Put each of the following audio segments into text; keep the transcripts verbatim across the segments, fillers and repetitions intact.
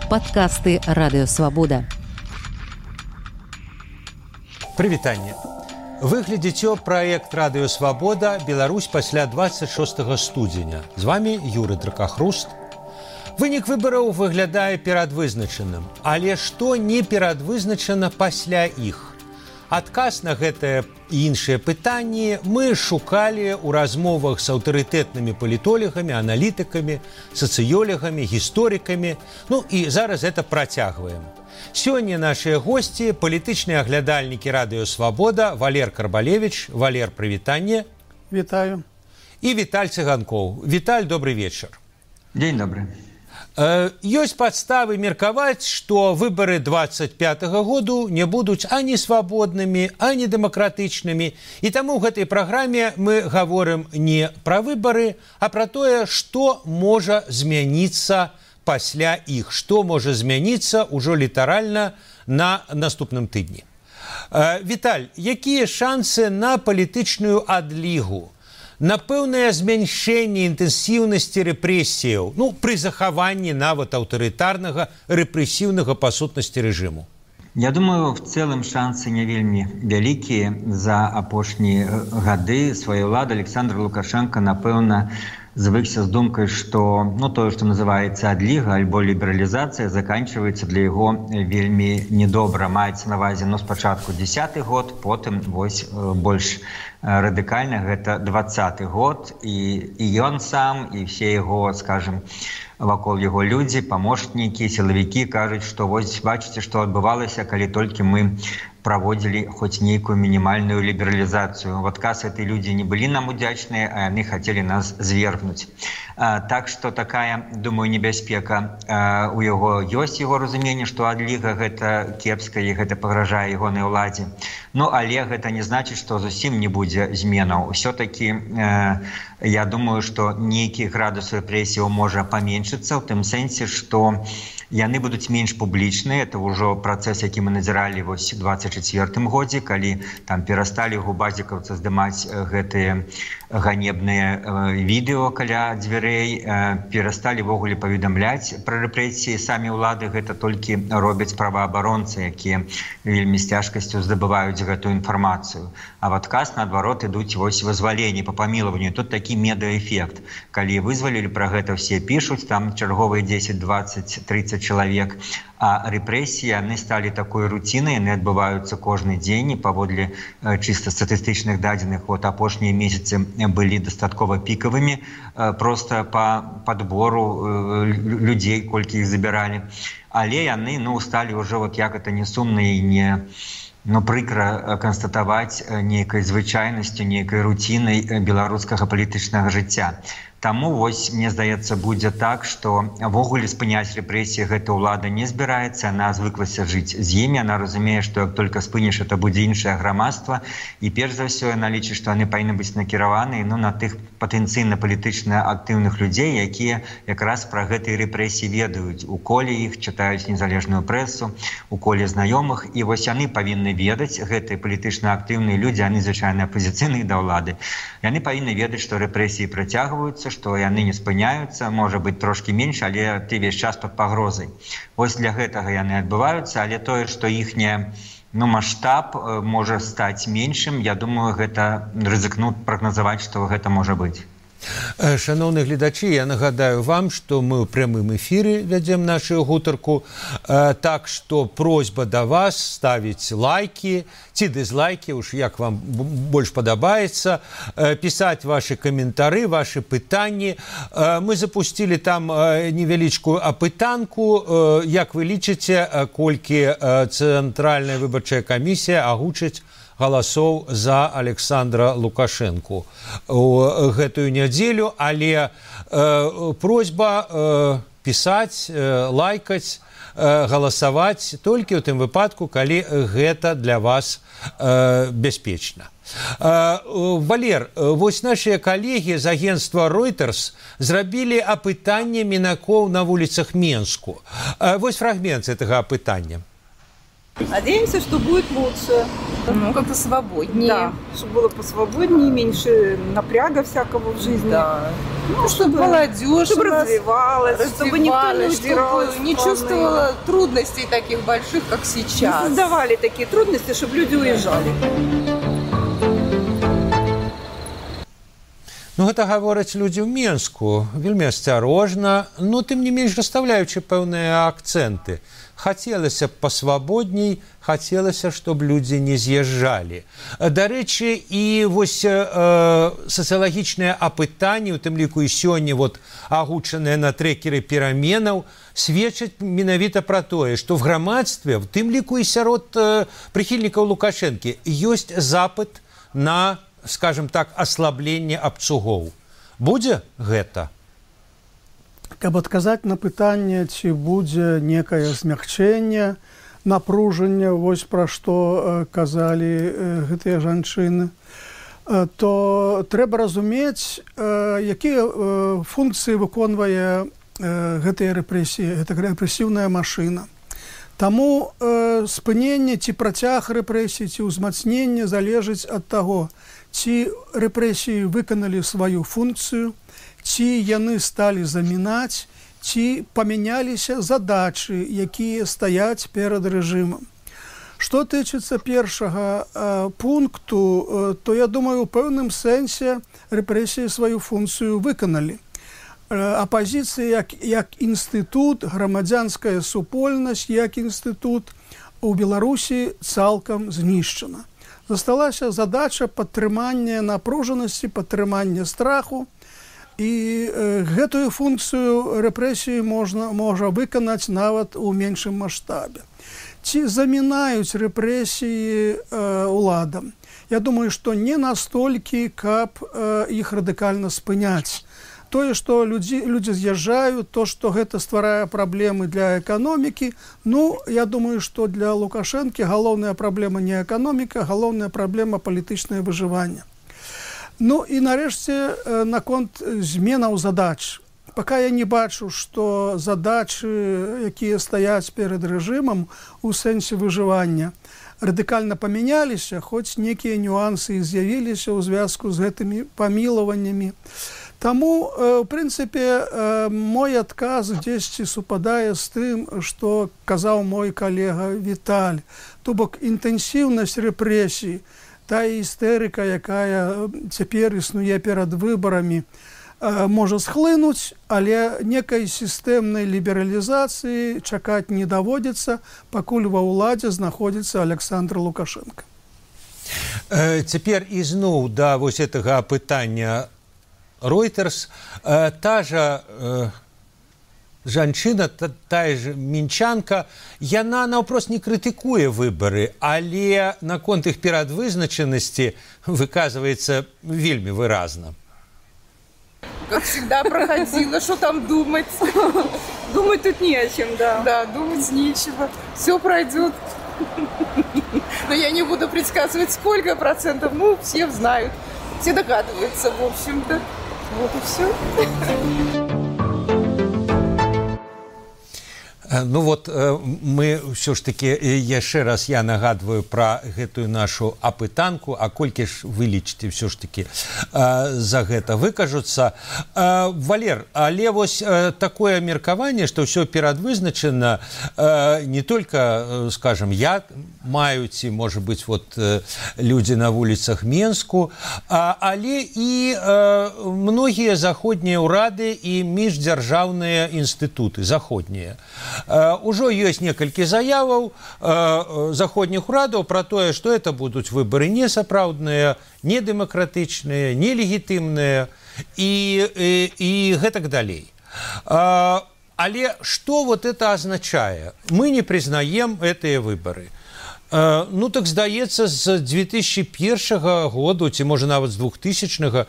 Падкасты радыёвабода. Прывітанне. Вы глядзіце праект радыёвабода Беларусь пасля двадцать шостага студзеня. З вами Юры Дракахруст. Вынік выбараў выглядае перадвызначаным, але што не перадвызначана пасля іх? Адказ на гэтае і іншыя пытанні мы шукалі ў размовах з аўтарытэтнымі палітолагамі, аналітыкамі, сацыёлагамі, гісторыкамі, ну і зараз гэта працягваем. Сёння нашыя госці, палітычныя аглядальнікі радыёвабода Валер Карбалевіч. Валер, прывітанне. Вітаю. І Віталь Цыганкоў. Віталь, добрый вечар. Дзень добры. Ёсць падставы меркаваць, што выбары двадцать пятага году не будуць ані свабоднымі, ані дэмакратычнымі. І таму ў гэтай праграме мы гаворым не пра выбары, а пра тое, што можа змяніцца пасля іх, што можа змяніцца ўжо літаральна на наступным тыдні. Віталь, якія шансы на палітычную адлігу? На пэўнае змяншэнне інтэнсіўнасці рэпрэсіяў, ну, пры захаванні нават аўтарытарнага рэпрэсіўнага па сутнасці рэжыму? Я думаю, в целом шансы не вельмі вялікія. За апошнія гады свае ўлады Александр Лукашенко, напэўна, звыкся з думкай, што ну, тое, што называецца адліга альбо лібералізацыя, заканчваецца для яго вельмі недобра. Маецца на ўвазе ну, спачатку дзесяты год, потым вось больш радыкальна гэта двадцаты год, і, і ён сам, і все яго, скажем, вакол яго людзі, памочнікі, сілавікі кажуць, што вось бачыце, што адбывалася, калі толькі мы праводзілі хоць нейкую мінімальную лібералізацыю. В адказ этой людзі не былі нам удзячныя, а яны хацелі нас звергнуць. А, так што такая, думаю, небяспека а, у яго ёсць яго разуменне, што адліга гэта кепска і гэта пагражае ягонай уладзе. Ну, але гэта не значыць, што зусім не будзе зменаў. Усё-такі э, я думаю, што нейкі градус рэпрэсіяў можа паменшыцца, ў тым сэнсе, што яны будуць менш публічныя. Это ўжо працэс, які мы назіралі вось у двадцать чацвёртым годзе, калі там перасталі губазікаўцы здымаць гэтыя ганебныя э, відэо каля дзвярэй, э, перасталі ввогуле паведамляць пра рэпрэсіі. Самі ўлады гэта толькі робяць праваабаронцы, якія вельмі з цяжкасцю здабываюць гэтую інфармацыю. А в адказ, наадварот, ідуць вось вызваленні па памілаванню. Тут такі медыаэфект. Калі вызвалілі, пра гэта все пішуць, там чарговыя дзесяць, двадцать, тридцать чалавек. А рэпрэсіі, яны сталі такой рутінай, яны адбываюцца кожны дзень, і паводле э, чыста статыстычных дадзеных, вот апошнія месяцы былі дастаткова пікавымі, э, проста па падбору э, людзей, колькі іх забіралі. Але яны, ну, сталі ўжо, вот як это не сумна і не... Ну, прыкра канстатаваць нейкай звычайнасцю, нейкай руцінай беларускага палітычнага жыцця. Таму, вось, мне здаецца, будзе так, што ввогуле спыняць рэпрэсіі гэта ўлада не збіраецца, яна звыклася жыць з імі, яна разумее, што як толькі спыніш, это будзе іншае грамадства, і перш за ўсё яна лічыць, што яны павінны быць накіраваны ну, на тых патэнцыйна палітычна актыўных людзей, якія якраз пра гэтыя рэпрэсіі ведаюць, у коле іх чытаюць незалежную прэсу, у коле знаёмых, і вось яны павінны ведаць, гэтыя палітычна актыўныя людзі, яны звычайна апазіцыйныя да ўлады, яны павінны ведаць, што рэпрэсіі працягваюцца, што яны не спыняюцца, можа быць трошкі менш, але ты весь час пад пагрозай. Вось для гэтага яны адбываюцца, але тое, што іхняе ну, маштаб можа стаць меншым, я думаю, гэта рызыкну прагназаваць, што гэта можа быць. Шановні глядачі, я нагадаю вам, што мы ў прямым эфіры вядзем нашу гутарку, так што просьба да вас ставіць лайкі ці дызлайкі, уж як вам больш падабаецца, пісаць вашы каментары, вашы пытанні. Мы запусцілі там невялічкую апытанку, як вы лічыце, колькі Цэнтральная выбарчая камісія агучыць галасоў за Александра Лукашэнку у гэтую нядзелю, але э, просьба э, пісаць, э, лайкаць, э, галасаваць толькі ў тым выпадку, калі гэта для вас э, бяспечна. Э, Валер, вось нашыя калегі з агенцтва Reuters зрабілі апытанне мінакоў на вуліцах Менску. Э, вось фрагмент гэтага апытання. Надеемся, что будет лучше. Ну, как-то свободнее. Да, чтобы было посвободнее, меньше напряга всякого в жизни. Да. Ну, Ну, чтобы молодежь чтобы у нас развивалась, чтобы никто не удирал из чтобы не страны. чувствовала трудностей таких больших, как Не сейчас. создавали такие трудности, чтобы люди уезжали. Ну, гэта гавораць людзі ў Менску вельмі асцярожна, но тым не менш расстаўляючы пэўныя акцэнты. Хацелася б пасвабодней, хацелася, чтобы людзі не з'язджалі. Дарэчы, і вось э, сацыялагічныя апытанні, у тым ліку і сёння вот агучаныя на трекеры пераменаў, сведчаць менавіта пра тое, што в грамадстве, в тым ліку і сярод э, прыхільнікаў Лукашэнкі, ёсць запыт на, скажем так, аслабленне абцугоў. Будзе гэта? Каб адказаць на пытанне, ці будзе некае змягчэнне, напружанне, вось пра што э, казалі э, гэтыя жанчыны, э, то трэба разумець, э, якія э, функцыі выконвае э, гэтыя рэпрэсіі, гэта рэпрэсіўная машына. Таму э, спыненне ці працяг рэпрэсій, ці ўзмацненне залежыць ад таго, ці рэпрэсіі выканалі сваю функцыю, ці яны сталі замінаць, ці памяняліся задачы, якія стаяць перад рэжымам. Што тычыцца першага э, пункту, э, то, я думаю, у пэўным сэнсе рэпрэсіі сваю функцыю выканалі. Э, апазіцыя як, як інстытут, грамадзянская супольнасць як інстытут у Беларусі цалкам знішчана. Засталася задача падтрымання напружанасці, падтрымання страху, і э, гэтую функцыю рэпрэсіі можна, можа выканаць нават у меншым маштабе. Ці замінаюць рэпрэсіі э, уладам? Я думаю, што не настолькі, каб э, іх радыкальна спыняць. Тое, што людзі, людзі з'язджаюць, то, што гэта стварае праблемы для эканомікі, ну, я думаю, што для Лукашэнкі галоўная праблема не эканоміка, галоўная праблема палітычнае выжыванне. Ну і нарэшце наконт зменаў задач. Пака я не бачу, што задачы, якія стаяць перад рэжымам у сэнсе выжывання, радыкальна памяняліся, хоць некія нюансы з'явіліся ў звязку з гэтымі памілаваннямі. Таму, в прынцыпе, мой адказ дзесьці супадае з тым, што казаў мой калега Віталь. То бок інтэнсіўнасць рэпрэсій, та істэрыка, якая цяпер існуе перад выбарамі, можа схлынуць, але некай сістэмнай лібералізацыі чакаць не даводзіцца, пакуль ва ўладзе знаходзіцца Александр Лукашенко. Цяпер ізноў да вось гэтага пытання Reuters. Та жа жанчына, та, тая ж мінчанка, яна наўпрост не крытыкуе выбары, але наконт іх перадвызначанасці выказваецца вельмі выразна. Как всегда проходила, что там думать? Думать тут не о чем, да. Да, думать нечего. Все пройдет. Но я не буду предсказывать, сколько процентов. Ну, все знают, все догадываются, в общем-то. Вот и все. Ну вот мы ўсё ж таки яшчэ раз я нагадваю пра гэтую нашу апытанку, а колькі ж вы лічыце ўсё ж таки за гэта выкажуцца. Валер, але вось такое меркаванне, што ўсё перадвызначана, не только, скажем, я маю ці, можа быць, вот людзі на вуліцах Менску, але і многія заходнія ўрады і міждзяржаўныя інстытуты заходнія. Ужо ёсць некалькі заяваў заходніх урадаў пра тое, што это будуць выбары несапраўдныя, недэмакратычныя, нелегітымныя і, і, і гэтак далей. Але што вот это азначае? Мы не прызнаем гэтыя выбары. Ну так здаецца, з две тысячи першага году, ці можа нават з двухтысячнага,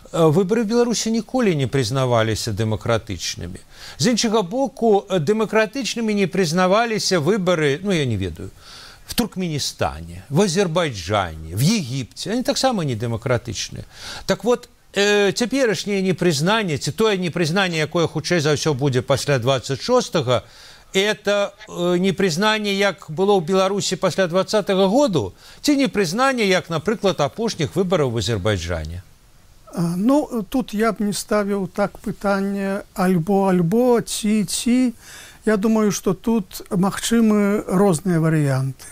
выбары в Беларусі ніколі не прызнаваліся дэмакратычнымі. З іншага боку, дэмакратычнымі не прызнаваліся выбары, ну я не ведаю, в Туркменістане, в Азербайджане, в Егіпце. Они таксама не дэмакратычныя. Так вот, э, цяперашняе непрызнанне, ці тое непрызнанне, якое хутчэй за ўсё будзе пасля двадцать шостага, это непрызнанне, як было ў Беларусі пасля двадцатага году, ці непрызнанне, як, напрыклад, апошніх выбараў в Азербайджане? Ну, тут я б не ставіў так пытанне альбо-альбо, ці-ці. Я думаю, што тут магчымы розныя варыянты.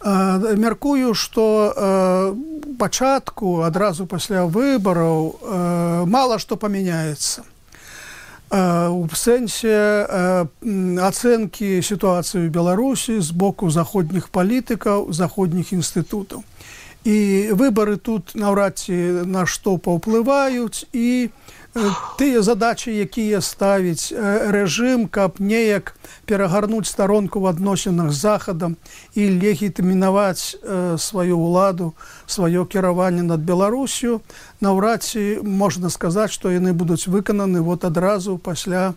Мяркую, што пачатку, адразу пасля выбараў, мала што памяняецца. У сэнсе ацэнкі сітуацыі ў Беларусі з боку заходніх палітыкаў, заходніх інстытутаў. І выбары тут наўрад ці на што паўплываюць, і тыя задачы, якія ставіць рэжым, каб неяк перагарнуць старонку в адносінах з Захадам і легітымінаваць сваю ўладу, сваё кіраванне над Беларусю, наўрад ці можна сказаць, што яны будуць выкананы вот адразу пасля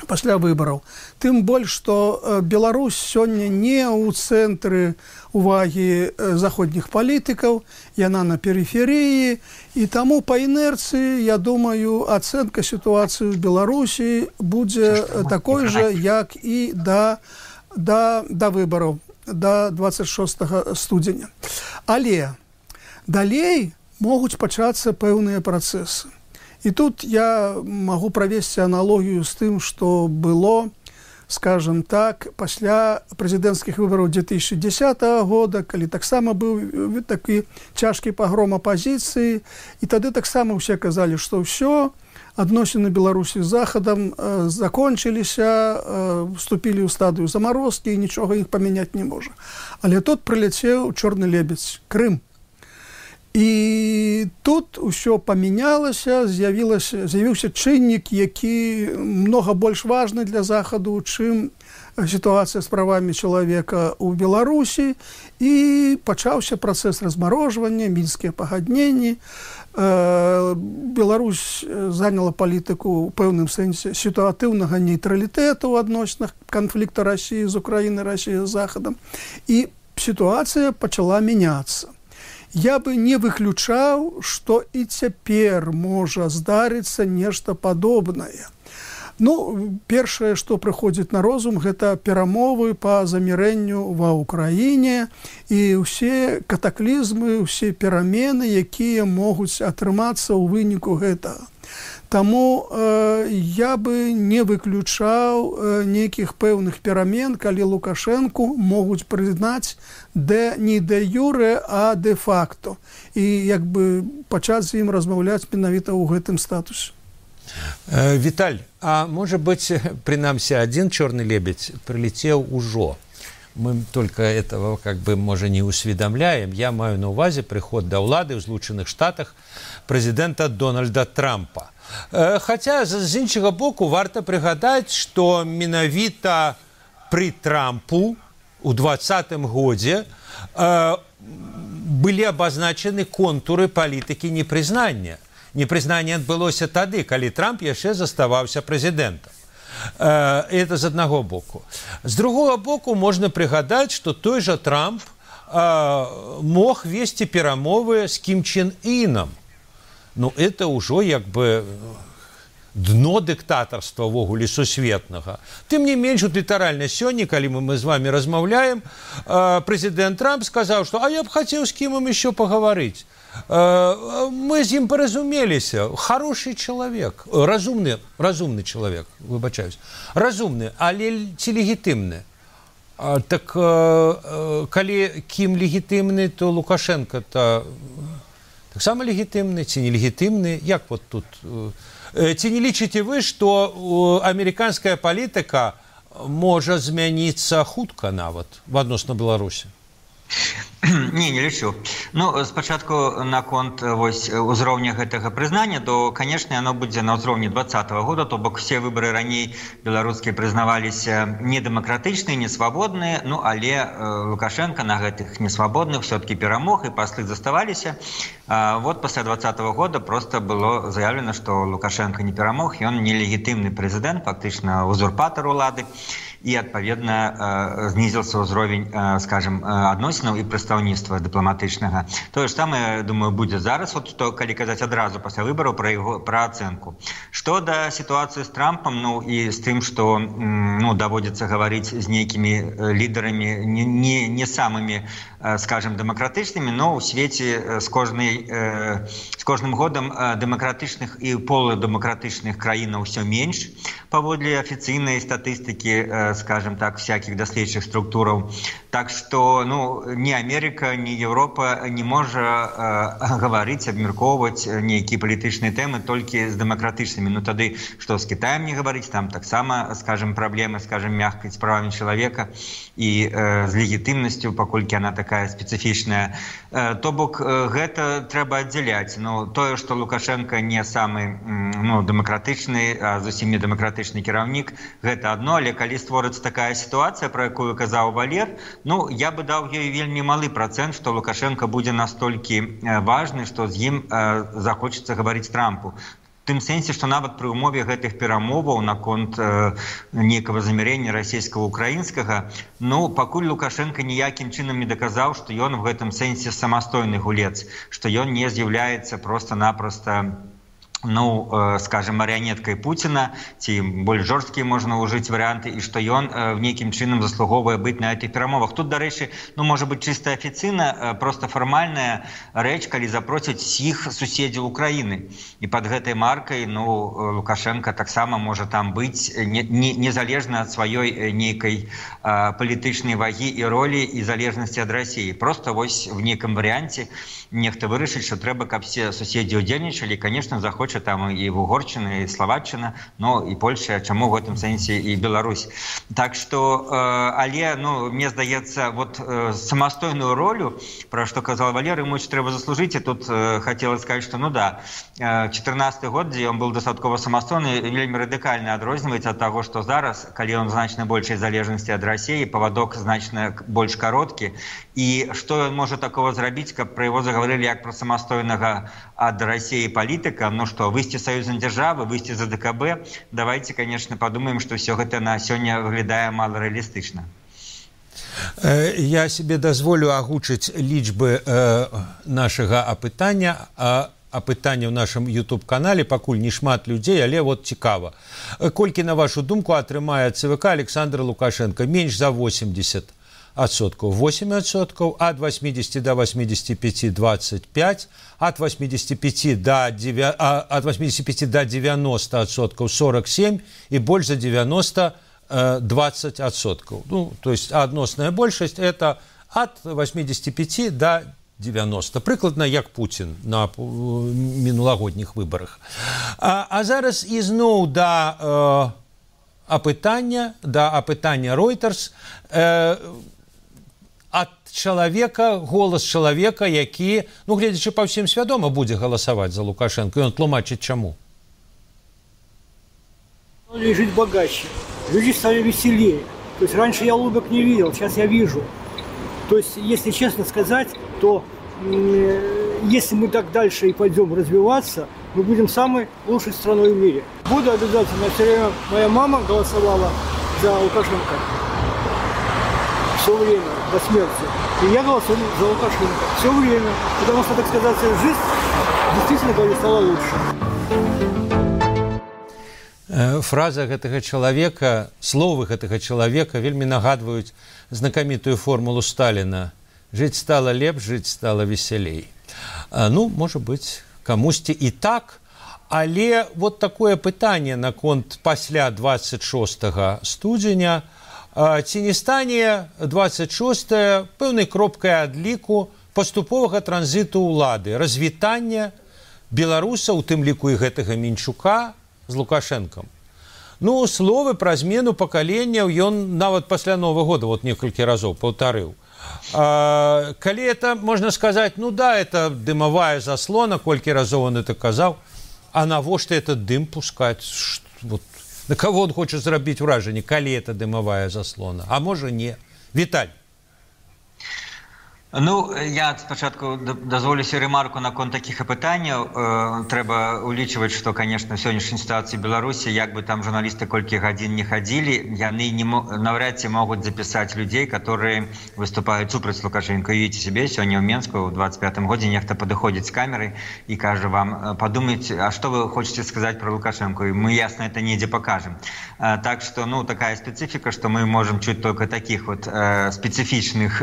пасля выбараў. Тым больш, што Беларусь сёння не ў цэнтры увагі заходніх палітыкаў, яна на перыферыі, і таму па інерцыі, я думаю, ацэнка сітуацыі ў Беларусі будзе такой жа, як і да, да, да выбараў, да дваццаць шостага студзеня. Але далей могуць пачацца пэўныя працэсы. І тут я магу правесці аналогію з тым, што было, скажем так, пасля прэзідэнцкіх выбараў две тысячи десятого года, калі таксама быў такі цяжкі пагром апазіцыі, і тады таксама ўсе казалі, што ўсё, адносіны Беларусі з Захадам закончыліся, вступілі ў стадыю замарозкі, і нічога іх памяняць не можа. Але тут прыляцеў чорны лебедзь, Крым. І тут усё памянялася, з'явіўся чыннік, які многа больш важны для Захаду, чым сітуацыя з правамі чалавека ў Беларусі, і пачаўся працэс размарожвання, мінскія пагадненні. Беларусь заняла палітыку ў пэўным сэнсе сітуатыўнага нейтралітэту ў адносінах канфлікта Расіі з Украінай, Расіі з Захадам. І сітуацыя пачала мяняцца. Я бы не выключаў, што і цяпер можа здарыцца нешта падобнае. Ну, першае, што прыходзіць на розум, гэта перамовы па замірэнню ва ўкраіне і ўсе катаклізмы, ўсе перамены, якія могуць атрымацца ў выніку гэтага. Таму э, я бы не выключаў э, нейкіх пэўных перамен, калі Лукашэнку могуць прызнаць де, не де юре, а де факто. І як бы пачаць з ім размаўляць менавіта ў гэтым статусе. Э, Віталь, а можа быць, прынамсі, адзін чорны лебедзь прылецеў ужо. Мы только этого, как бы, може, не усведомляем. Я маю на увазе приход до ўлады ў Злучаных Штатах прэзідэнта Дональда Трампа. Хаця, з іншага боку, варта прыгадаць, што менавіта пры Трампу у двадцатым годзе былі абазначаны контуры палітыкі непрызнання. Непрызнанне адбылося тады, калі Трамп яшчэ заставаўся прэзідэнтам. Это з аднаго боку. З другога боку можна прыгадаць, што той жа Трамп мог весці перамовы з Кім Чен Іном. Ну, это ўжо як бы дно дыктатарства ввогуле сусветнага. Тым не менш, літаральна сёння, калі мы, мы з вами размаўляем, прэзідэнт Трамп сказаў, што «А я б хацеў з кім ім ещё пагаварыць». Мы з ім паразумеліся. Хороший чалавек, разумны, разумны чалавек, выбачаюсь. Разумны, але ці легітымны? Так калі Кім легітымны, то Лукашенко-то таксама легітымны ці нелегітымны? Як вот тут? Ці не лічыце вы, што амерыканская палітыка можа змяніцца хутка нават адносна Беларусі? Не, не лічу. Ну, спачатку наконт вось узроўня гэтага прызнання, то, канешне, оно будзе на ўзроўні двадцатого года, то бок все выборы раней беларускія прызнаваліся недэмакратычныя, несвабодныя, ну, але э, Лукашенко на гэтых несвабодных все-таки перамог, і паслы заставаліся. А вот пасля двадцатого года просто было заявлено, што Лукашенко не перамог, ён нелегітымны прэзідэнт, фактычна узурпатар улады, і, адпаведна, э, знізіўся ўзровень, э, скажем, адносінаў і прыстаў прадстаўніцтва дыпламатычнага. Тое ж самае, думаю, будзе зараз, вот, то, калі казаць адразу пасля выбараў пра яго пра ацэнку. Што да сітуацыі з Трампам, ну і з тым, што ну, даводзіцца гаварыць з нейкімі лідарамі не, не, не самымі, скажем, дэмакратычнымі, но ў свеце з, кожнай, з кожным годам дэмакратычных і полудэмакратычных краінаў ўсё менш, паводле афіцыйнай статыстыкі, скажем так, всякіх даследчых структураў. Так што ну, ні Амерыка, ні Еўропа не можа э, гаварыць, абмяркоўваць нейкія палітычныя тэмы толькі з дэмакратычнымі. Ну тады, што з Кітаем не гаварыць, там таксама, скажем, праблемы, скажем, мягкай з правамі чалавека і э, з легітымнасцю, паколькі яна такая спецыфічная. Э, то бок, э, гэта трэба аддзяляць. Ну, тое, што Лукашенко не самы ну, дэмакратычны, а зусім не дэмакратычны кіраўнік, гэта адно, але калі створыцца такая сітуацыя, пра якую казаў Валер, ну, я бы даў ёй вельмі малы працэнт, што Лукашенко будзе настолькі важны, што з ім э, захочацца гаварыць Трампу. В тым сэнсе, што нават пры ўмове гэтых перамоваў наконт э, нейкага замірэння расійска-украінскага, ну, пакуль Лукашенко ніякім чынам не даказаў, што ён в гэтым сэнсе самастойны гулец, што ён не з'яўляецца проста-напроста ну, э, скажем, марионеткой Путина, ці больш жорсткія можна ўжыць варыянты, і што ён э, в нейкім чынам заслуговвае быць на гэтых перамовах. Тут, дарэчы, ну, можа быць чыста афіцыйна, э, просто фармальная рэч, калі запросяць усіх суседзяў Украіны. І пад гэтай маркай, ну, Лукашенко таксама можа там быць не, не, незалежна ад сваёй нейкай э, палітычнай вагі і ролі і залежнасці ад Расіі. Просто вось в нейкім варыянце нехта вырашыць, што трэба, каб все суседзі ўдзельнічалі, конечно, захоча там і Угорчына, і Словаччына, ну і Польша, чаму в гэтым сэнсе і Беларусь. Так што, э, але, ну, мне здаецца, вот э, самастойную ролю, пра што казал Валер, ему трэба заслужыць, і тут э, хацела сказаць, што, ну да, чатырнасты год, дзе ён был дастаткова самастойны, вельмі радыкальна адрозніваецца ад таго, што зараз, калі ён значна большай залежнасці ад Расіі, павадок значна больш кароткі, і што ён можа такого зрабіць, каб пра яго загаварылі як пра самастойнага ад Расіі палітыка, ну што, выйсці саюзнай дзяржавы, выйсці за ДКБ, давайте, конечно, подумаем, что все гэта на сёння выглядае мало реалістычна. Я себе дазволю агучыць лічбы э, нашага апытання, а апытання ў нашым YouTube-канале, пакуль не шмат людзей, але вот цікава. Колькі, на вашу думку, атрымае ЦВК Александр Лукашенко? Менш за восемьдесят адсоткаў, восемь адсоткаў, ад восьмидесяти до восьмидесяти пяти двадцать пять, от восьмидесяти пяти до девяноста адсоткаў сорок семь и больше за девяносто двадцать адсоткаў. Ну, то есть адносная большасць это от восьмидесяти пяти до девяноста. Прыкладна як Путин на мінулагодніх выбарах. А, а зараз ізноў да э, апытання, да апытання Reuters э, ад чалавека, голас чалавека, які, ну, гледзячы па ўсім, свядома будзе галасаваць за Лукашенко, і он тлумачыць чаму. Стали жить богаче, люди стали веселее. То есть раньше я улыбок не видел, сейчас я вижу. То есть, если честно сказать, то э, если мы так дальше и пойдем развиваться, мы будем самой лучшей страной в мире. Буду обязательно, все время моя мама голосовала за Лукашенко. Все время, до смерти. И я голосую за Лукашенко. Все время. Потому что, так сказать, жизнь действительно стала лучше. Фраза гэтага чалавека, словы гэтага чалавека вельмі нагадваюць знакамітую формулу Сталіна. Жыць стала лепш, жыць стала весялей. Ну, можа быць, камусьці і так, але вот такое пытанне наконт пасля двадцать шостага студзеня, ці не стане двадцать шостае пэўнай кропкай адліку паступовага транзіту ўлады, развітання беларусаў, у тым ліку і гэтага Мінчука, з Лукашэнкам. Ну, словы пра змену пакаленняў ён нават пасля Новага года вот некалькі разоў паўтарыў. А, калі это, можна сказаць, ну да, это дымавая заслона, колькі разоў он это казаў, а навошта этот дым пускаць? Вот. На кого он хочет зрабіць ўражанне, калі это дымавая заслона? А можа не. Віталь. Ну, я спачатку дазволюся ремарку наконт такіх пытанняў. Трэба улічваць, што, конечно, в сённяшняй сітуацыі Беларусі, як бы там журналісты колькі гадзін не хадзілі, яны наўрад ці могуць запісаць людзей, которые выступаюць супраць Лукашенко. Уявіце себе, сёння ў Менску ў двадцать пятым годзе нехта падыходзіць з камерай і кажа вам, подумайте, а што вы хочаце сказаць про Лукашенко? І мы ясна это недзе пакажем. Так што, ну, такая спецыфіка, што мы можем чуць только таких вот спецыфічных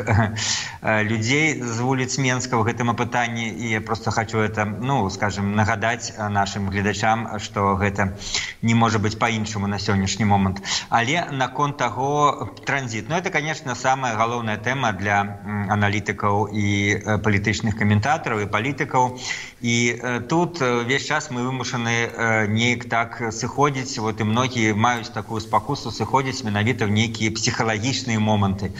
людей з вуліц Менска ў гэтым апытанні, і я просто хочу это, ну, скажем, нагадаць нашим гледачам, што гэта не можа быць по-іншаму на сённяшні момант. Але наконт таго транзит, ну, это, конечно, самая галоўная тэма для аналітыкаў і палітычных каментатараў і палітыкаў. І тут весь час мы вымушаны неяк так сыходзіць, вот і многія маюць такую спакусу сыходзіць менавіта ў нейкія псіхалагічныя моманты,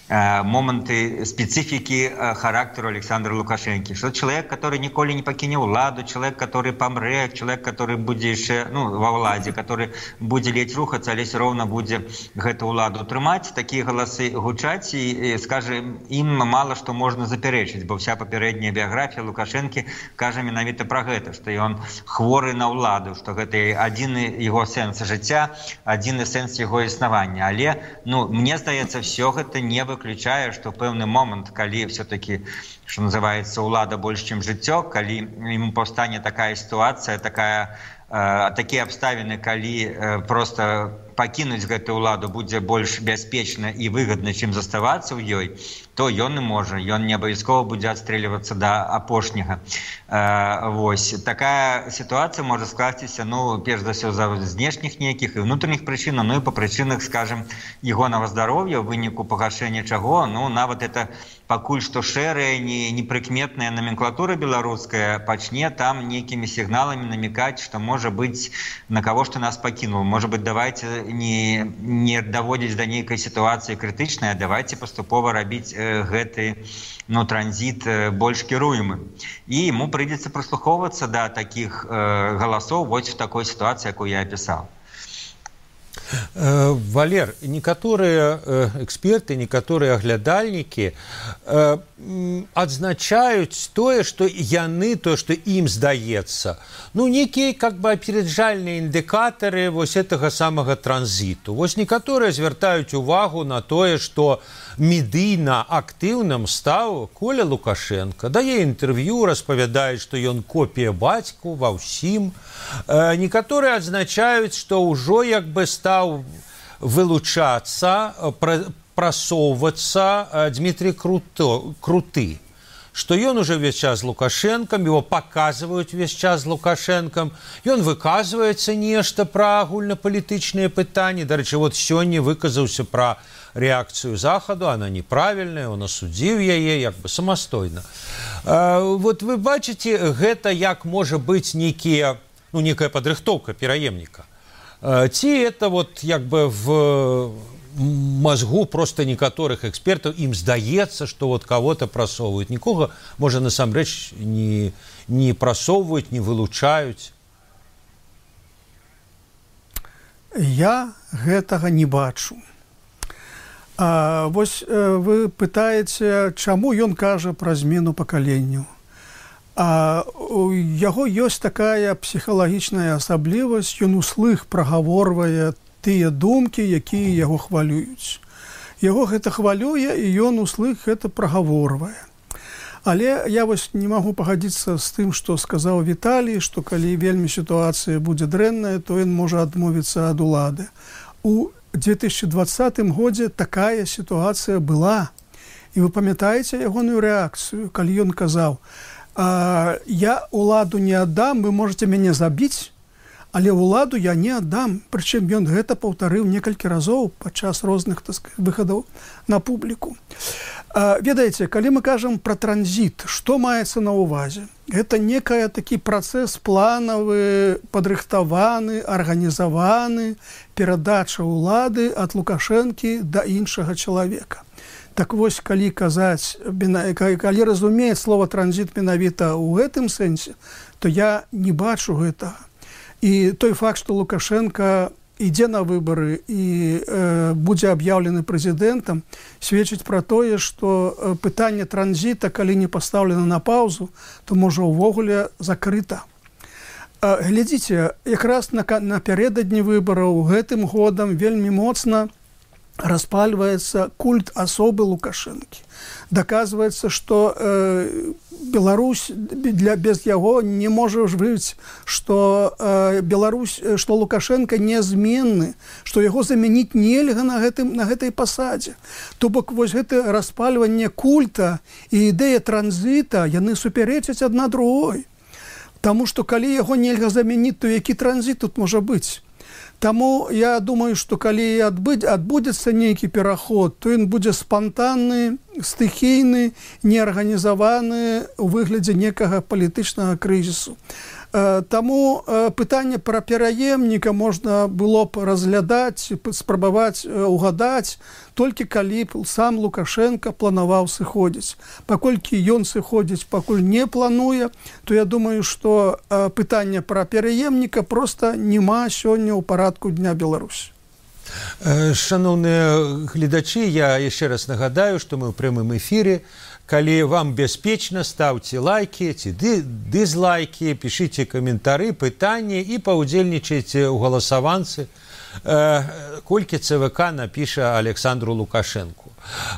моманты специфики характеру Александра Лукашенко. Что человек, который николи не покинет владу, человек, который помре, человек, который будет еще, ну, во владе, который будет ледь рухаться, але все равно будет эту владу трымать, такие голосы гучать, и, и, скажем, им мало что можно заперечить, бо вся попередняя биография Лукашенко кажа менавіта про это, что он хворый на владу, что это один его сенс життя, один сенс его існавання. Але, ну, мне здаецца, все это не выключае, что пэўны момент, калі все-таки, что называется, улада больше, чем жыццё, калі ему паўстане такая ситуация, такая, э, такие обставины, калі э, просто покинуть гэтую уладу будзе больш бяспечна і выгодна, чым заставацца ў ёй, то ён і можа, ён не абавязкова будзе адстрэльвацца да апошняга. Э, вось такая сітуацыя можа скласціся, ну, перш за ўсё, за знешніх нейкіх і внутренніх прычынаў, ну і па прычынах, скажем, ягонага здароўя, ў выніку пагашэння чаго, ну, нават это пакуль што шэрая, не, непрыкметная номенклатура беларуская пачне там нейкімі сігналамі намекаць, што можа быць на каго што нас пакінуў. Можа быць, давайте не, не даводзіць да нейкай сітуацыі крытычнай, а давайте паступова рабіць э, гэты, ну, транзит э, больш кіруемы. І ему прыйдзецца прыслухоўвацца да такіх э, галасоў вось в такой сітуацыі, якую я апісаў. Валер, некаторыя эксперты, некаторыя аглядальнікі адзначаюць тое, што яны, тое, што ім здаецца, ну, некія как бы апераджальныя індыкатары вось гэтага самага транзіту. Вось некаторыя звяртаюць увагу на тое, што медыйна актыўным стаў Коля Лукашенко, дае інтэрв'ю, распавядае, што ён копія бацьку ва ўсім. Некаторыя адзначаюць, што ўжо як бы стаў вылучацца, прасоўвацца Дмітрий Круты, што ён уже весь час з Лукашэнкам, его паказваюць весь час з Лукашэнкам, ён выказваецца нешта пра агульнапалітычныя пытанні. Дарэчы, вот сёння выказаўся пра реакцию Заходу, она неправильная, он осудил яе як бы самастойна. Вот вы бачыце, гэта як можа быць некія, ну, некая падрыхтоўка пераемніка. Ці это вот як бы в мозгу просто некаторых экспертаў ім здаецца, што вот кого-то прасоўваюць. Нікога, можа, насамрэч не, не прасоўваюць, не вылучаюць. Я гэтага не бачу. А, вось вы пытаеце, чаму ён кажа пра змену пакаленняў. А у яго ёсць такая псіхалагічная асаблівасць, ён услых прагаворвае тыя думкі, якія яго хвалююць. Яго гэта хвалюе, і ён услых гэта прагаворвае. Але я вось не магу пагадзіцца з тым, што сказаў Віталій, што калі вельмі сітуацыя будзе дрэнная, то ён можа адмовіцца ад улады. У две тысячи двадцатым годзе такая сітуацыя была. І вы памятаеце ягоную рэакцыю, калі ён казаў: «Я уладу не аддам, вы можете мяне забіць, але ўладу я не аддам». Прычым ён гэта паўтарыў некалькі разоў падчас розных, так сказать, выхадаў на публіку. Ведаеце, калі мы кажам пра транзіт, што маецца на ўвазе? Гэта некая такі працэс планавы, падрыхтаваны, арганізаваны, перадача ўлады ад Лукашэнкі да іншага чалавека. Так вось, калі казаць, калі разумець слова транзіт менавіта ў гэтым сэнсе, то я не бачу гэтага. І той факт, што Лукашенко ідзе на выбары і э, будзе аб'яўлены прэзідэнтам, сведчыць пра тое, што э, пытанне транзіта, калі не пастаўлена на паўзу, то можа ўвогуле закрыта. Э, глядзіце, якраз на, напярэдадні выбараў гэтым годам вельмі моцна распальваецца культ асобы Лукашэнкі. Даказваецца, што э, Беларусь для, без яго не можа жыць, што э, Беларусь, што Лукашенко нязменны, што яго замяніць нельга на, гэтым, на гэтай пасадзе. То бок вось гэта распальванне культа і ідэя транзіта, яны супярэчаць адна другой. Таму што калі яго нельга замяніць, то які транзіт тут можа быць? Таму я думаю, што калі адбыць, адбудзецца нейкі пераход, то ён будзе спантанны, стыхійны, неарганізаваны ў выглядзе некага палітычнага крызісу. Таму пытанне пра пераемніка можна было б разглядаць, спрабаваць угадаць, толькі калі б сам Лукашенко планаваў сыходзіць. Паколькі ён сыходзіць, пакуль не плануе, то я думаю, што пытанне пра пераемніка проста няма сёння ў парадку Дня Беларусі. Шановныя гледачы, я яшчэ раз нагадаю, што мы ў прямым эфіры. Калі вам бяспечна, ставце лайкі ці дызлайкі, пішыце каментары, пытанні і паўдзельнічайце ў галасаванцы, колькі ЦВК напіша Александру Лукашэнку.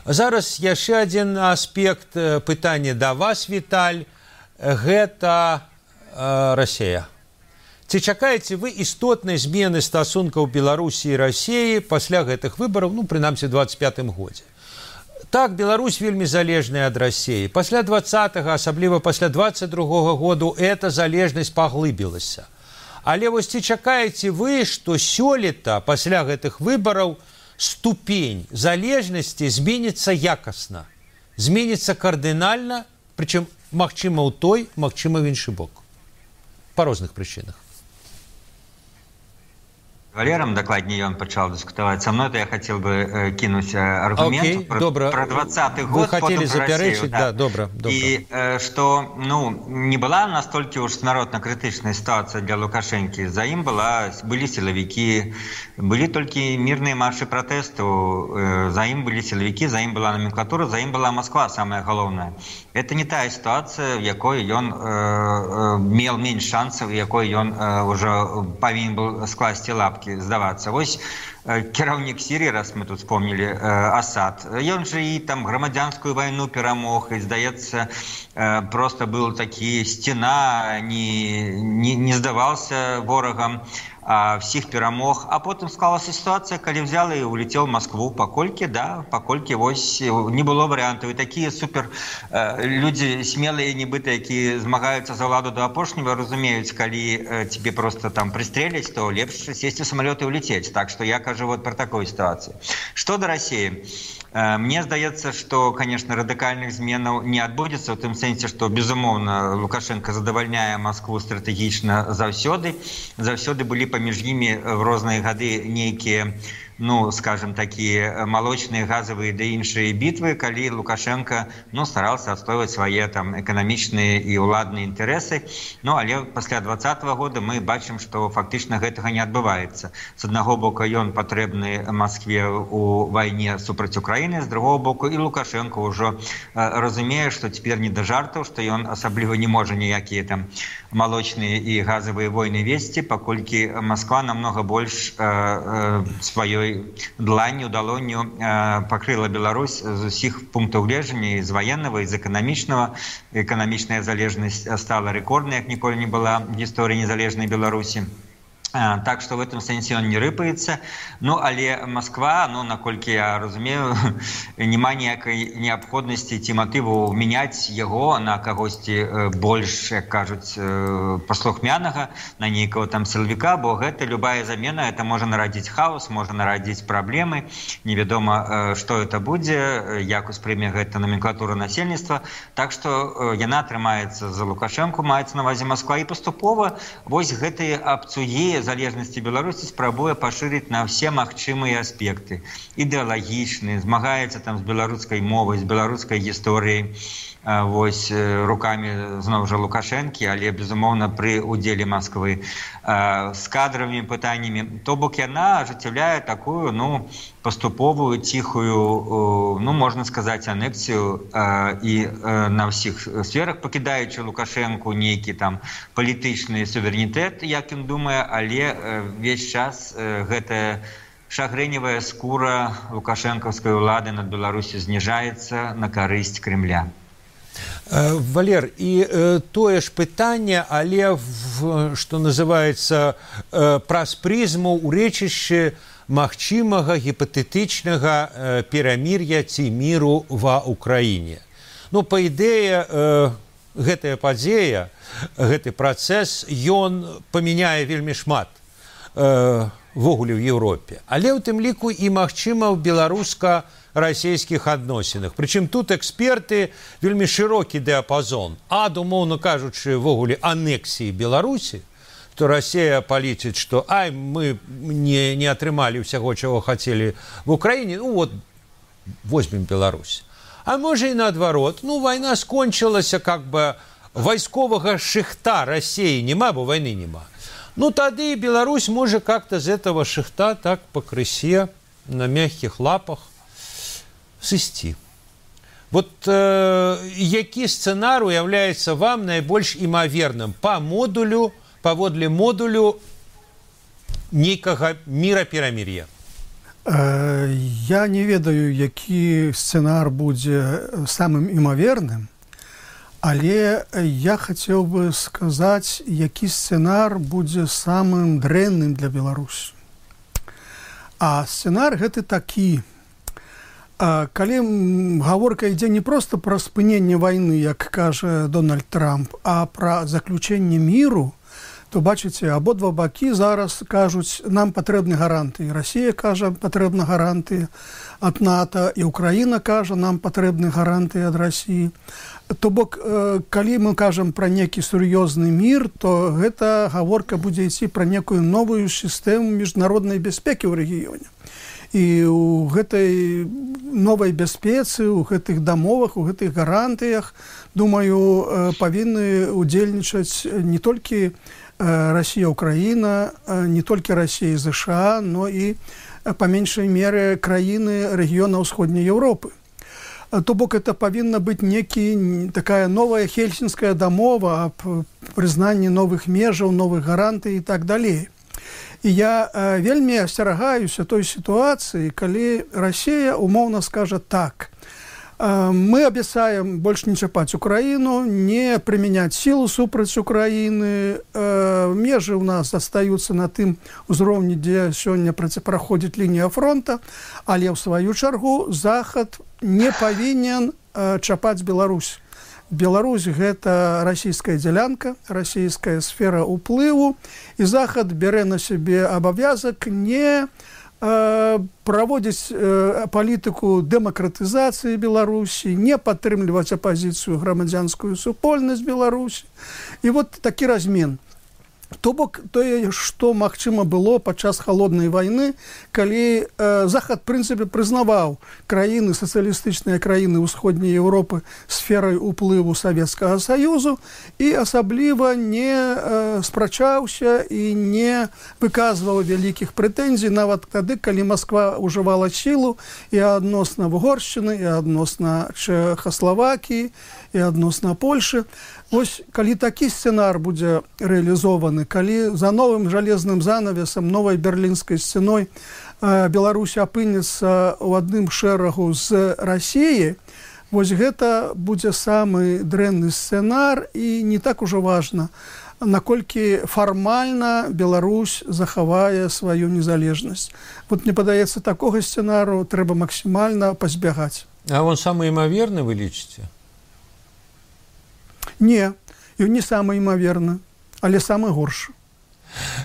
Зараз яшчэ адзін аспект пытання да вас, Віталь, гэта Расія. Ці чакаеце вы істотнай змены стасункаў Беларусі і Расіі пасля гэтых выбараў, ну, прынамсі, у дваццаць пятым годзе? Так, Беларусь вельмі залежная ад Расіі. Пасля двадцатага, асабліва пасля дваццаць другога году, эта залежнасць паглыбілася. Але вось ці чакаеце вы, што сёлета, пасля гэтых выбараў, ступень залежнасці зменіцца якасна, зменіцца кардынальна, прычым, магчыма, ў той, магчыма, в іншы бок. Па розных прычынах. Валером, докладнее, он начал дискутовать со мной, то я хотел бы э, кинуть э, аргумент okay, про, добро. про двадцатый год. Вы хотели заперечить, да, да, добро, добро. И э, что, ну, не была настолько уж смертно-критичная ситуация для Лукашенки. За им была, были силовики, были только мирные марши протесту, э, за им были силовики, за им была номенклатура, за им была Москва, самое главное. Это не та ситуация, в якой он э, имел меньше шансов, в якой он э, уже повинен был скласти лапки. Здавацца. Вось э, кіраўнік Сірыі, раз мы тут вспомнили, э, Асад, ён же і там грамадзянскую вайну перамог, і, здаецца, э, просто был такі сцена, не, не, не здавался ворагам, а всіх перамог. А потым склалася ситуация, калі взял и улетел в Москву, паколькі, да, паколькі вось не было вариантов. И такие супер э, люди смелые, нібыта, які змагаюцца за ўладу до апошняга, разумеюць, калі э, тебе просто там пристреляць, то лепш сесть в самолет и улететь. Так что я кажу вот про такую ситуацию. Что до России? Э, мне здаецца, что, конечно, радикальных зменаў не адбудзецца, в тым сэнсе, что, безумоўна, Лукашенко задавальняе Москву стратегічна заўсёды. Заўсёды былі паміж імі в розныя гады нейкія, ну, скажем, такие молочные, газовые да іншыя битвы, калі Лукашенко, ну, старался отстаивать свои там экономичные и уладные интересы. Ну, але пасля двадцатого года мы бачым, что фактично гэтага не адбываецца. С одного боку, ён патрэбны Москве у войне супраць Украины, с другого боку, и Лукашенко уже э, разумее, что теперь не до жартов, что он особливо не может никакие там молочные и газовые войны вести, паколькі Москва намного больше э, э, своей дланню, далонню э, покрыла Беларусь з усіх пунктаў гледжання, з военного, з эканамічнага. Эканамічная залежнасць стала рэкорднай, як ніколі не была в гісторыі незалежнай Беларусі. Так что в этом сенсе он не рыпается. Ну, але Москва, ну, наколькі я разумею, нема ніякай неабходнасці ці матыву мяняць яго на кагосьці больш, як кажуць, паслухмянага, на нейкага там сілавіка, бо гэта любая замена, это можа нарадзіць хаос, можа нарадзіць праблемы, невядома, што это будзе, як успрыме гэта номенклатура насельніцтва. Так што яна атрымаецца за Лукашэнку, маецца на ўвазе Москва, і паступова вось гэтыя абцугі залежнасці Беларусі спрабуе пашырыць на все магчымыя аспекты. Ідэалагічны, змагаецца там з беларускай мовай, з беларускай гісторыяй. вось руками зноў жа Лукашэнкі, але безумоўна пры удзеле Москвы з кадровымі пытаннямі. То бок яна ажыццяўляе такую, ну, паступовую, ціхую, ну, можна сказаць, анексію і на ўсіх сферах, пакідаючы Лукашэнку нейкі там палітычны суверэнітэт, як ён думае, але весь час гэтая шагрэневая скура лукашэнкаўскай улады над Беларусю зніжаецца на карысць Крэмля. Валер, і э, тое ж пытанне, але в, што называецца э, праз прызму ўрэчышча магчымага гіпатэтычнага э, перамір'я ці міру ва ўкраіне. Ну, па ідэе, э, гэтая падзея, гэты працэс, ён памяняе вельмі шмат э, ввогуле ў Еўропе. Але ў тым ліку і магчыма ў беларуска-расійскіх адносінах. Прычым тут эксперты вельмі шырокі дыапазон. Ад, умоўна кажучы, ввогуле анексіі Беларусі, то Расія палічыць, што ай, мы не, не атрымалі ўсяго, чаго хацелі в Украіне, ну вот, возьмем Беларусь. А можа і наадварот, ну, вайна скончылася, как бы, вайсковага шыхта Расіі нема, бо вайны нема. Ну, тады Беларусь можа как-то з этого шыхта так пакрысе на мягкіх лапах сысці. Вот э, які сцэнар уяўляецца вам найбольш імаверным па модулю, паводле модулю нейкага міра-перамір'я? Э, я не ведаю, які сцэнар будзе самым імаверным, але я хацеў бы сказаць, які сцэнар будзе самым дрэнным для Беларусі. А сцэнар гэты такі. Калі гаворка ідзе не проста пра спыненне вайны, як кажа Дональд Трамп, а пра заключэнне міру, то, бачыце, абодва бакі зараз кажуць, нам патрэбны гарантыі. Расія кажа, патрэбна гарантыі ад НАТО, і Украіна кажа, нам патрэбны гарантыі ад Расіі. То бок, калі мы кажам пра некі сур'ёзны мір, то гэта гаворка будзе ісці пра некую новую сістэму міжнароднай бяспекі ў рэгіёне. І ў гэтай новай бяспецы, у гэтых дамовах, у гэтых гарантыях, думаю, павінны удзельнічаць не толькі Расія, Украіна, не толькі Расія і ЗША, но і па меншай меры краіны рэгіёна ўсходняй Еўропы. То бок это павінна быць некі такая новая хельсінская дамова аб прызнанні новых межаў, новых гарантый і так далей. І я э, вельмі асцерагаюся той сітуацыі, калі Расія умоўна скажа так. Э, мы абяцаем больш не чапаць Украіну, не прымяняць сілу супраць Украіны. Э, межы ў нас застаюцца на тым узроўні, дзе сёння праходзіць лінія фронта, але ў сваю чаргу Захад не павінен э, чапаць Беларусь. Беларусь – гэта расійская дзялянка, расійская сфера ўплыву, і Захад бярэ на сябе абавязак не э, праводзіць э, палітыку дэмакратызацыі Беларусі, не падтрымліваць апазіцыю грамадзянскую супольнасць Беларусі. І вот такі размен. То бок тое, што магчыма было падчас халоднай вайны, калі э, Захад, в прынцыпе, прызнаваў краіны, сацыялістычныя краіны ўсходняй Еўропы сферай уплыву Савецкага Саюзу і асабліва не э, спрачаўся і не выказваў вялікіх прэтэнзій, нават тады, калі Масква ўжывала сілу і адносна Угоршчыны, і адносна Чэхаславакіі, і адносна Польшы. Вось, калі такі сцэнар будзе рэалізованы, калі за новым жалезным занавесам, новай берлінскай сцяной э, Беларусь апынецца ў адным шэрагу з Расіяй, вось гэта будзе самы дрэнны сцэнар, і не так ужо важна, наколькі фармальна Беларусь захавае сваю незалежнасць. Вот мне падаецца, такога сцэнару трэба максімальна пазбягаць. А он самы імаверны, вы лічыце? Не, і не самы імаверны, але самы горшы.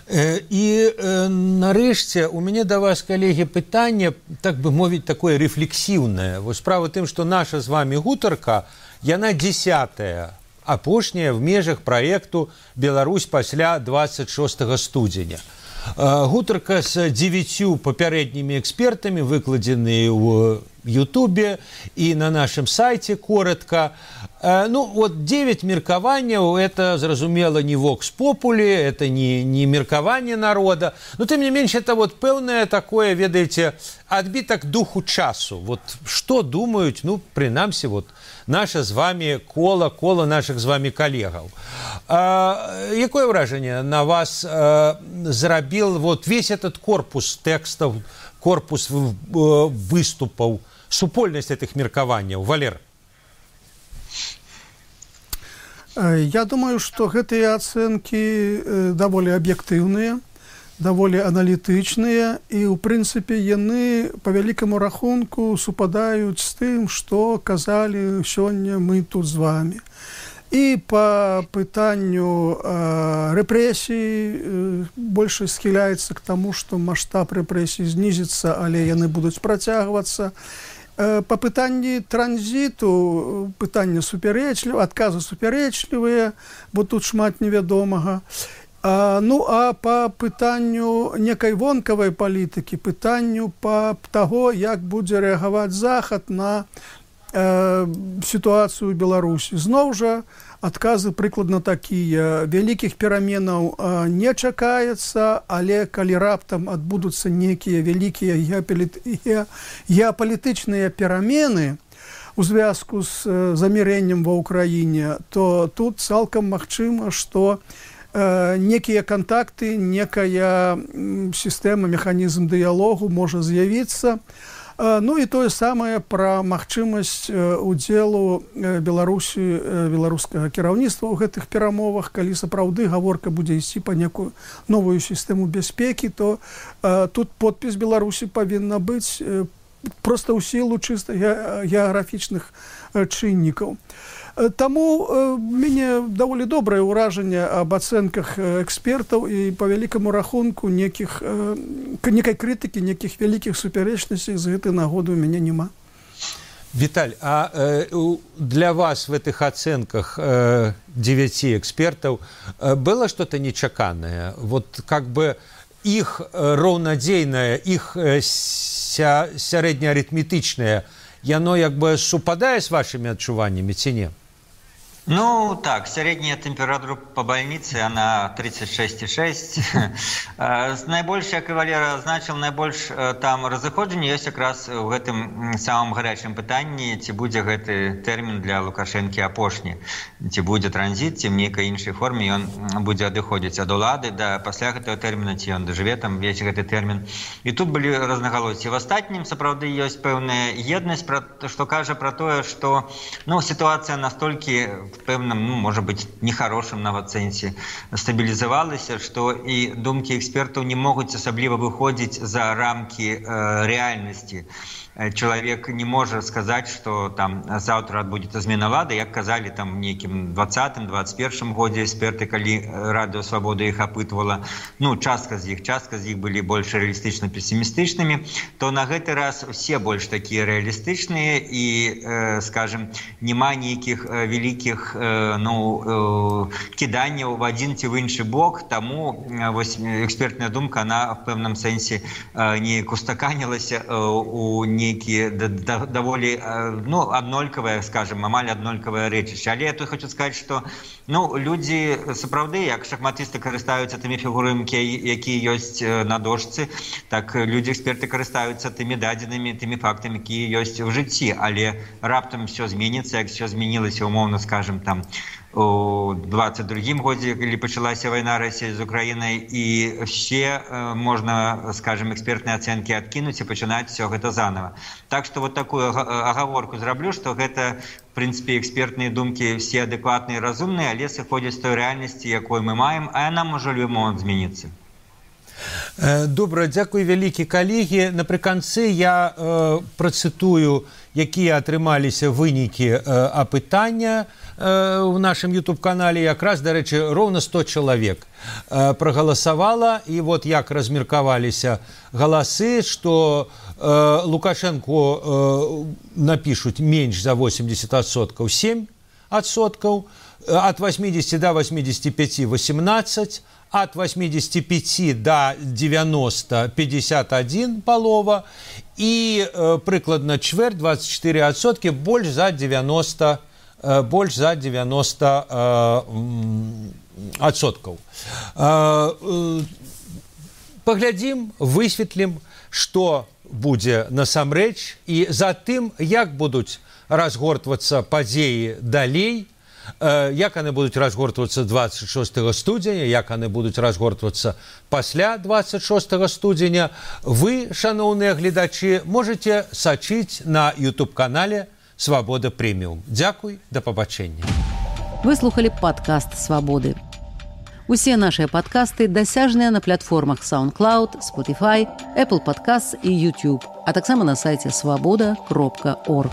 І э, нарэшце у мяне да вас, калегі, пытанне, так бы мовіць, такое рэфлексіўнае. Вось справа тым, што наша з вами гутарка, яна дзесятая, апошняя в межах праекту «Беларусь пасля двадцать шостага студзеня». Гутарка з дзевяццю папярэднімі экспертамі, выкладзены ў в Ютубе, и на нашем сайте коротко. Ну, вот девять меркаванняў, это, зразумела, не вокс попули, это не, не меркаванне народа, но, тем не меньше, это вот пэўнае такое, ведаеце, адбітак духу часу. Вот что думают, ну, принамсі, вот, наше з вами кола, кола наших з вами коллегаў. А, якое ўражанне на вас а, зрабіл вот весь этот корпус текстов, корпус выступаў, супольнасць этих меркаванняў? Валер? Я думаю, что гэтыя ацэнкі даволі аб'ектыўныя, даволі аналітычныя, і, ў прынцыпе, яны па вялікаму рахунку супадаюць з тым, што казалі сёння мы тут з вами. І па пытанню э, рэпрэсій э, больш схіляецца к таму, што маштаб рэпрэсій знізіцца, але яны будуць працягвацца. Па пытанні транзіту, пытання супярэчлівыя, адказы супярэчлівыя, бо тут шмат невядомага. А, ну, а па пытанню некай вонкавай палітыкі, пытанню па таго, як будзе рэагаваць Захад на э, сітуацыю ў Беларусі. Зноў жа, адказы прыкладна такія. Вялікіх пераменаў э, не чакаецца, але калі раптам адбудуцца некія вялікія геапалітычныя перамены у звязку з э, замірэннем ва ўкраіне, то тут цалкам магчыма, што э, некія кантакты, некая сістэма, механізм дыялогу можа з'явіцца. Ну і тое самае пра магчымасць удзелу Беларусі, беларускага кіраўніцтва ў гэтых перамовах. Калі сапраўды гаворка будзе ісці па некую новую сістэму бяспекі, то э, тут подпіс Беларусі павінна быць э, проста ў сілу чыста геаграфічных э, чыннікаў. Таму э, мяне даволі добрае ўражанне аб ацэнках экспертаў, і па вялікаму рахунку некіх, э, некай крытыкі, некіх вялікіх супярэчнасцей з гэтай нагоды у мяне няма. Виталь, а э, для вас в этих оценках э, девяти экспертов э, было что-то нечаканное? Вот как бы их э, роўнадзейнае, их э, ся, сярэднеарытметычнае, яно як бы супадае с вашими адчуваннями ці не? Ну, так, средняя температура по больнице, она тридцать шесть и шесть. Найбольш, як і Валера азначыў, найбольш там разыходжанне ёсць якраз у гэтым самым гарячым пытанні, ці будзе гэты тэрмін для Лукашэнкі апошні, ці будзе транзіт, ці в нейкай іншай форме ён будзе адыходзіць ад улады, да пасля гэтага тэрміна, ці ён дажыве там весь гэты тэрмін. І тут былі рознагалоссі. В астатнім сапраўды ёсць пэўная еднасць, што кажа пра тое, што ну, сітуацыя настолькі пэўным, ну, можа быць, нехарошым нават сэнсе стабілізавалася, што і думкі экспертаў не могуць асабліва выходзіць за рамкі э, рэальнасці. Чалавек не можа сказаць, што там заўтра адбудзецца змена лады, як казалі там нейкім двадцатым двадцать першым годзе эксперты, калі Радыё Свабода іх апытвала, ну, частка з іх, частка з іх былі больш рэалістычна песімістычнымі, то на гэты раз усе больш такія рэалістычныя і, э, скажем, няма нейкіх э, вялікіх э, ну, э, кіданняў в адзін ці в іншы бок, таму э, вось экспертная думка, она в пэўным сэнсе э, неяк устаканілася э, у не нейкія даволі ну, аднолькавыя, скажем, амаль аднолькавыя рэчышча. Але я тут хочу сказаць, што ну, людзі сапраўды, як шахматысты карыстаюцца тымі фігурамі, якія ёсць на дошцы, так людзі-эксперты карыстаюцца тымі дадзенымі, тымі фактамі, якія ёсць у жыцці. Але раптам все зменіцца, як все змянілася, умоўна, скажем, там, у двадцать другім годзе, калі пачалася вайна Расіі з Украінай, і все э, можна, скажем, экспертныя ацэнкі адкінуць і пачынаць все гэта заново. Так што вот такую агаворку зраблю, што гэта, в прынцыпе, экспертныя думкі все адэкватныя і разумныя, але сыходзяць з той рэальнасці, якой мы маем, а яна можа любы момант змяніцца. Добра, дзякуй вялікі калегі. Напрыканцы я э, працытую, якія атрымаліся вынікі э, апытання э, в нашем YouTube-канале. Якраз, дарэчы, роўна сто чалавек э, прагаласавала. І вот як размеркаваліся галасы, што э, Лукашэнку э, напішуць менш за восемьдесят адсоткаў, сем адсоткаў, от восьмидесяти до восьмидесяти пяти восемнадцать, от восьмидесяти пяти до девяноста пятьдесят один палова і э, прыкладна чвэрць двадцать четыре адсоткі больш за девяносто э, больш за девяносто адсоткаў. Э, э, паглядзім, высветлім, што будзе насамрэч, і за тым, як будуць разгортвацца падзеі далей, як яны будуць разгортвацца двадцать шостага студзеня, як яны будуць разгортвацца пасля двадцать шостага студзеня, вы, шаноўныя гледачы, можаце сачыць на ютуб-канале «Свабода Прэміум». Дзякуй, да пабачэння. Вы слухалі падкаст «Свабоды». Усе нашыя падкасты дасяжныя на платформах SoundCloud, Spotify, Apple Podcasts і YouTube, а таксама на сайце свабода кропка орг.